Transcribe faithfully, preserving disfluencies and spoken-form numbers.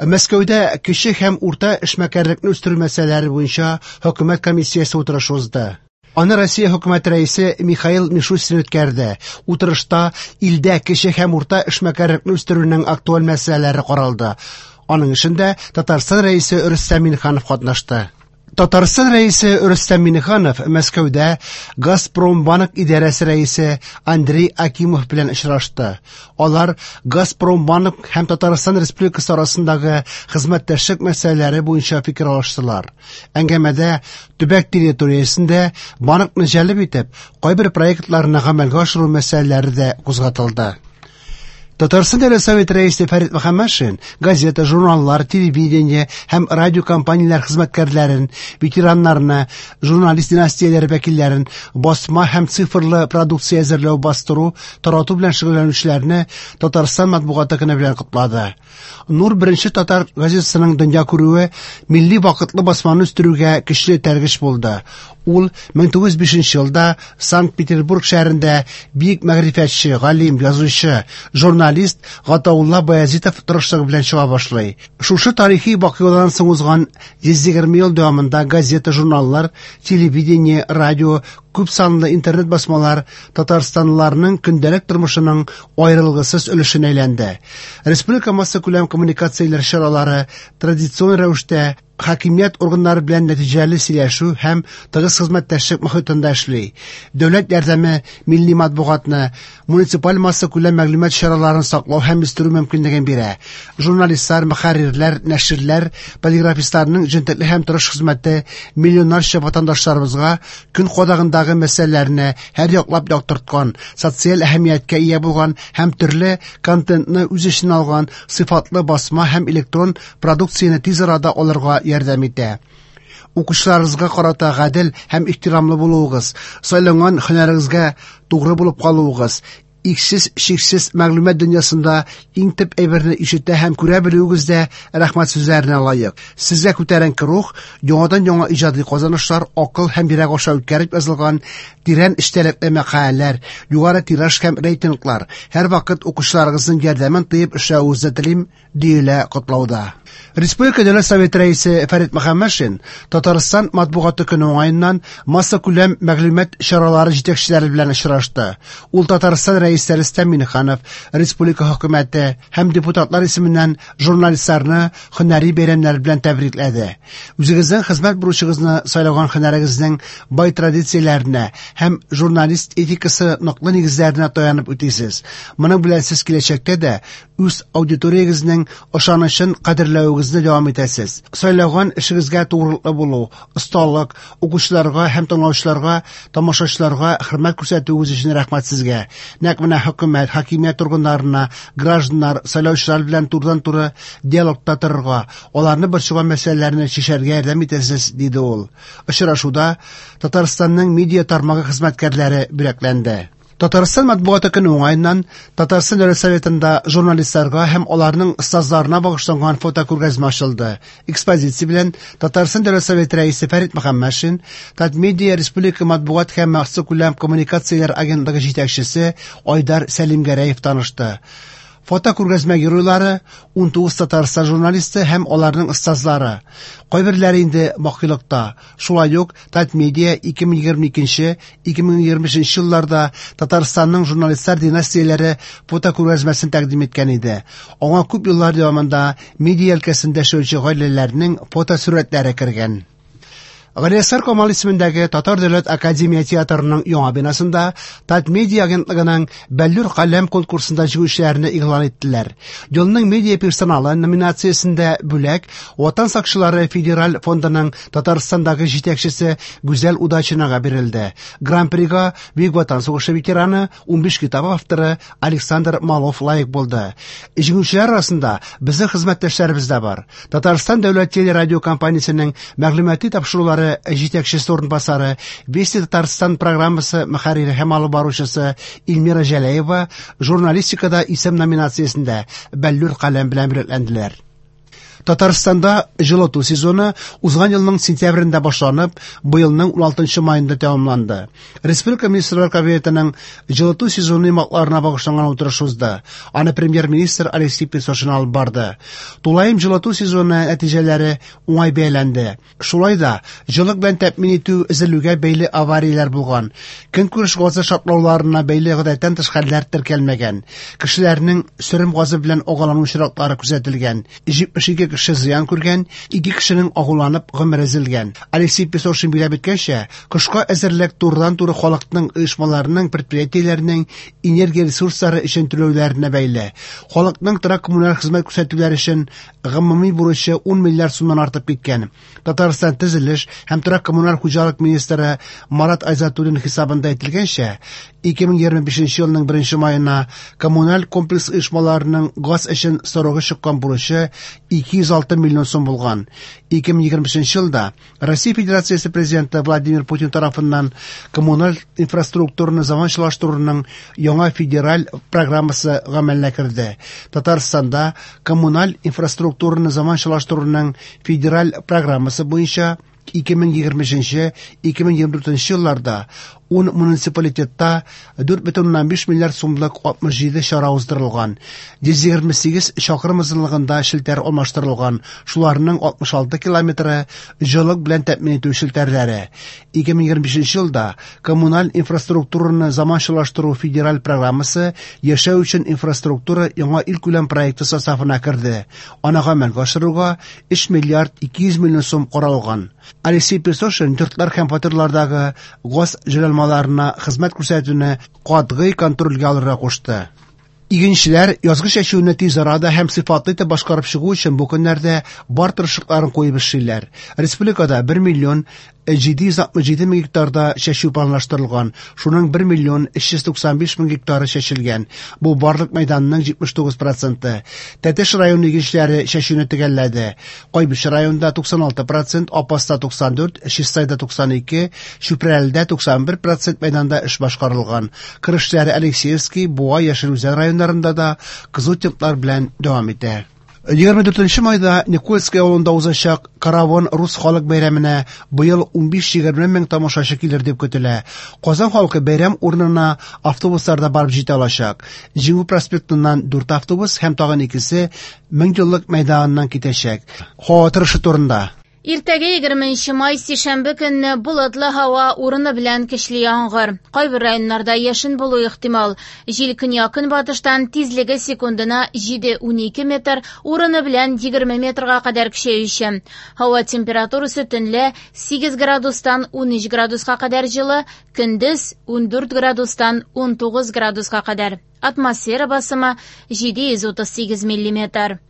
Мәскәүдә кече һәм урта эшмәкәрлекне үстерү мәсьәләләре буенча хөкүмәт комиссиясе утырышы узды. Аны Россия хөкүмәте рәисе Михаил Мишустин үткәрде. Утырышта илдә кече һәм урта эшмәкәрлекне үстерүнең актуаль мәсьәләләре каралды. Аның эшендә Татарстан рәисе Рөстәм Миңнеханов катнашты. Татарстан рәисе Рөстәм Миңнеханов Мәскәүдә Газпромбанк идарәсе рәисе Андрей Акимов белән очрашты. Алар Газпромбанк һәм Татарстан Республикасы арасындагы хезмәттәшлек мәсьәләләре буенча фикер алыштылар. Әңгәмәдә төбәк территориясендә банкны җәлеп итеп, кайбер проектларны гамәлгә ашыру мәсьәләләре дә кузгатылды. Татарстан Дәүләт Советы рәисе Фәрит Мөхәммәтшин газета, журналлар, телевидение һәм радиокомпанияләр хезмәткәрләрен, ветераннарны, журналист династияләре вәкилләрен, басма һәм цифрлы продукция әзерләү, бастыру, тарату белән шөгыльләнүчеләрне Татарстан матбугаты көне белән котлады. Нур беренче татар газетасының дөнья күрүе милли вакытлы басманы үстерүгә көчле этәргеч булды. Ул мең тугыз йөз бишенче елда Санкт-Петербург шәһәрендә бөек мәгърифәтче, галим, язучы, журналист Гатаулла Баязитов тырышлыгы белән чыга башлый. Шушы тарихи вакыйгадан соң узган йөз егерме ел дәвамында газета, журналлар, телевидение, радио, күп санлы интернет басмалар татарстанлыларның көндәлек тормышының аерылгысыз өлешенә әйләнде. Республика массакүләм коммуникацияләр чаралары традицион рәвештә хакимият органнары белән нәтиҗәле сөйләшү һәм тыгыз хезмәттәшлек мохитында эшли. Дәүләт ярдәме милли матбугатны, муниципаль массакүләм мәгълүмат чараларын саклау һәм үстерү мөмкинлеген бирә. Журналистлар, мөхәррирләр, нәширләр, полиграфистларның җентекле һәм тырыш хезмәте миллионнарча ватандашларыбызга көн кадагындагы мәсьәләләрне һәр яклап яктырткан, социаль әһәмияткә ия булган һәм төрле контентны үз эченә алган сыйфатлы басма һәм электрон продукцияне тиз арада алырга ярдәм итә. Укучыларыгызга карата гадел һәм ихтирамлы булуыгыз, сайланган һөнәрегезгә тугры булып калуыгыз, иксез-чиксез мәгълүмат дөньясында иң төп әйберне ишетә һәм күрә белүегез дә рәхмәт сүзләренә лаек. Сезгә күтәренке рух, яңадан-яңа иҗади казанышлар, акыл һәм йөрәк аша үткәреп язылган тирән эчтәлекле мәкаләләр, югары тираж һәм рейтинглар, һәрвакыт укучыларыгызның ярдәмен тоеп эшләвегезне телим, диелә котлауда. Республика Дәүләт Советы рәисе Фәрит Мөхәммәтшин Татарстан матбугаты көне уңаеннан массакүләм мәгълүмат чаралары җитәкчеләре белән очрашты. Ул Татарстан рәисе Рөстәм Миңнеханов, республика хөкүмәте һәм депутатлар исеменнән журналистларны һөнәри бәйрәмнәр белән тәбрикләде. Үзегезнең хезмәт бурычыгызны сайлаган һөнәрегезнең бай традицияләренә һәм журналист этикасы ныклы нигезләренә таянып үтисез. Моның белән сез киләчәктә дә үз аудиториягезнең ышанычын кадерләвегезне дәвам итәсез. Сайлаган эшегезгә тугрылыклы булу, осталык, укучыларга һәм тыңлаучыларга, тамашачыларга хөрмәт күрсәтүегез өчен рәхмәт сезгә. Нәкъ менә хөкүмәт, хакимият органнарына, гражданнар, сайлаучылар белән турыдан-туры диалогта торырга, аларны борчыган мәсьәләләрне чишәргә ярдәм итәсез, диде ул. Очрашуда Татарстанның медиа тармагы хезмәткәрләре бүләкләнде. Татарстан матбугаты көне уңаеннан Татарстан Дәүләт Советында журналистларга һәм аларның остазларына багышланган фотокүргәзмә ачылды. Экспозиция белән Татарстан Дәүләт Советы рәисе Фәрит Мөхәммәтшин, Татмедиа Республика матбугат һәм массакүләм коммуникацияләр агентлыгы җитәкчесе Айдар Сәлимгәрәев танышты. Фотокүргәзмә геройлары ун тугыз Татарстан журналисты һәм аларның остазлары. Кайберләре инде бакыйлыкта. Шулай ук Татмедиа ике мең егерме икенче, ике мең егерме өченче елларда Татарстанның журналистлар династияләре фотокүргәзмәсен тәкъдим иткән иде. Аңа күп еллар дәвамында медиа өлкәсендә эшләүче гаиләләрнең фотосурәтләре кергән. Галиәсгар Камал исемендәге Татар дәүләт академия театрының яңа бинасында Татмедиа агентлыгының Бәллүр каләм конкурсында җиңүчеләрне игълан иттеләр. Елның медиа персоналы номинациясендә бүләк Ватан сакчылары федераль фондының Татарстандагы җитәкчесе Гүзәл Удачинага бирелде. Гран-прига Бөек Ватан сугышы ветераны, унбиш китап авторы Александр Малов лаек булды. Җиңүчеләр арасында безнең хезмәттәшләребез дә бар. Татарстан дәүләт телерадио компаниясенең мәгълүмати тапшырулары җитәкчесе урынбасары, Вести Татарстан программасы мөхәррире һәм алып баручысы Эльмира Җәләева журналистикада исем номинациясендә Бәллүр каләм белән бүләкләнделәр. Татарстанда җылыту сезоны узган елның сентябрендә башланып, быелның уналтынчы маенда тәмамланды. Республика Министрлар Кабинетының җылыту сезоны йомгакларына багышланган утырыш узды. Аны премьер-министр Алексей Песошин алып барды. Тулаем җылыту сезоны нәтиҗәләре уңай бәяләнде. Шулай да җылылык белән тәэмин итү өзелүгә бәйле аварияләр булган. Көнкүреш газы шартлауларына бәйле гадәттән тыш хәлләр теркәлмәгән. Кешеләрнең сөрем газы белән агулану очраклары күзәтелгән. җитмеш ике кеше зыян күргән, ике кешенең агуланып гомере өзелгән. Алексей Песошин билгеләп үткәнчә, кышка әзерлек турыдан-туры халыкның, оешмаларның, предприятиеләрнең энергия ресурслары өчен түләүләренә бәйле. Халыкның торак коммуналь хезмәт күрсәтүләр өчен гомуми бурычы ун миллиард сумнан артып киткән. Татарстан төзелеш һәм торак коммуналь хуҗалык министры Марат Айзатуллин хисабында әйтелгәнчә, ике мең егерме бишенче елның беренче маена коммуналь комплекс оешмаларының газ өчен срогы чыккан бурычы ике йөз алты миллион сум булган. ике мең егерме бишенче елда Россия Федерациясе президенты Владимир Путин тарафыннан коммуналь инфраструктураны заманчалаштыруның яңа федераль программасы гамәлгә керде. Татарстанда коммуналь инфраструктураны заманчалаштыруның федераль программасы буенча ике мең егерме өченче, ике мең егерме дүртенче елларда ун муниципалитетта дүрт бөтен уннан биш миллиард сумлык алтмыш җиде чара уздырылган. Йөз егерме сигез чакрым озынлыгында челтәр алмаштырылган, шуларның алтмыш алты километры җылылык белән тәэмин итү челтәрләре. ике мең егерме бишенче елда коммуналь инфраструктураны заманчалаштыру федераль программасы яшәү өчен инфраструктура яңа илкүләм проекты составына керде. Аны гамәлгә ашыруга өч миллиард ике йөз миллион сум каралган. Алексей Песошин йортлар һәм фатирлардагы газ җайланмаларына хезмәт күрсәтүне катгый контрольгә алырга кушты. Игенчеләр язгы чәчүне тиз арада һәм сыйфатлы итеп башкарып чыгу өчен бу көннәрдә бар тырышлыкларын куеп эшлиләр. Республикада бер миллион җиде йөз алтмыш җиде мең гектарда чәчү планлаштырылган, шуның бер миллион өч йөз туксан биш мең гектары чәчелгән. Бу барлык мәйданның җитмеш тугыз проценты. Тәтеш районы игенчеләре чәчүне төгәлләде. Кайбыч районында туксан алты процент, Апаста туксан дүрт, Чистайда туксан ике, Чүпрәледә туксан бер процент мәйданда эш башкарылган. Кыр эшләре Алексеевский, Буа, Яшел Үзән районнарында да кызу темплар белән дәвам итә. Егерме дүртенче майда Никольский авылында узачак Каравон рус халык бәйрәменә быел унбиш-егерме мең тамашачы килер дип көтелә. Казан халкы бәйрәм урынына автобусларда барып җитә алачак. Җиңү проспектыннан дүрт автобус һәм тагын икесе мең еллык мәйданыннан китәчәк. Һава торышы турында. Иртәгә егерменче май сишәмбе көнне болытлы һава урыны белән көчле яңгыр. Кайбер районнарда яшен булу ихтимал. Җил көньяк-көнбатыштан тизлеге секундына җиде унике метр, урыны белән егерме метрга кадәр көчәюче. Һава температурасы төнлә сигез градустан унөч градуска кадәр җылы, көндез ундүрт градустан унтугыз градуска кадәр. Атмосфера басымы җиде йөз утыз сигез миллиметр.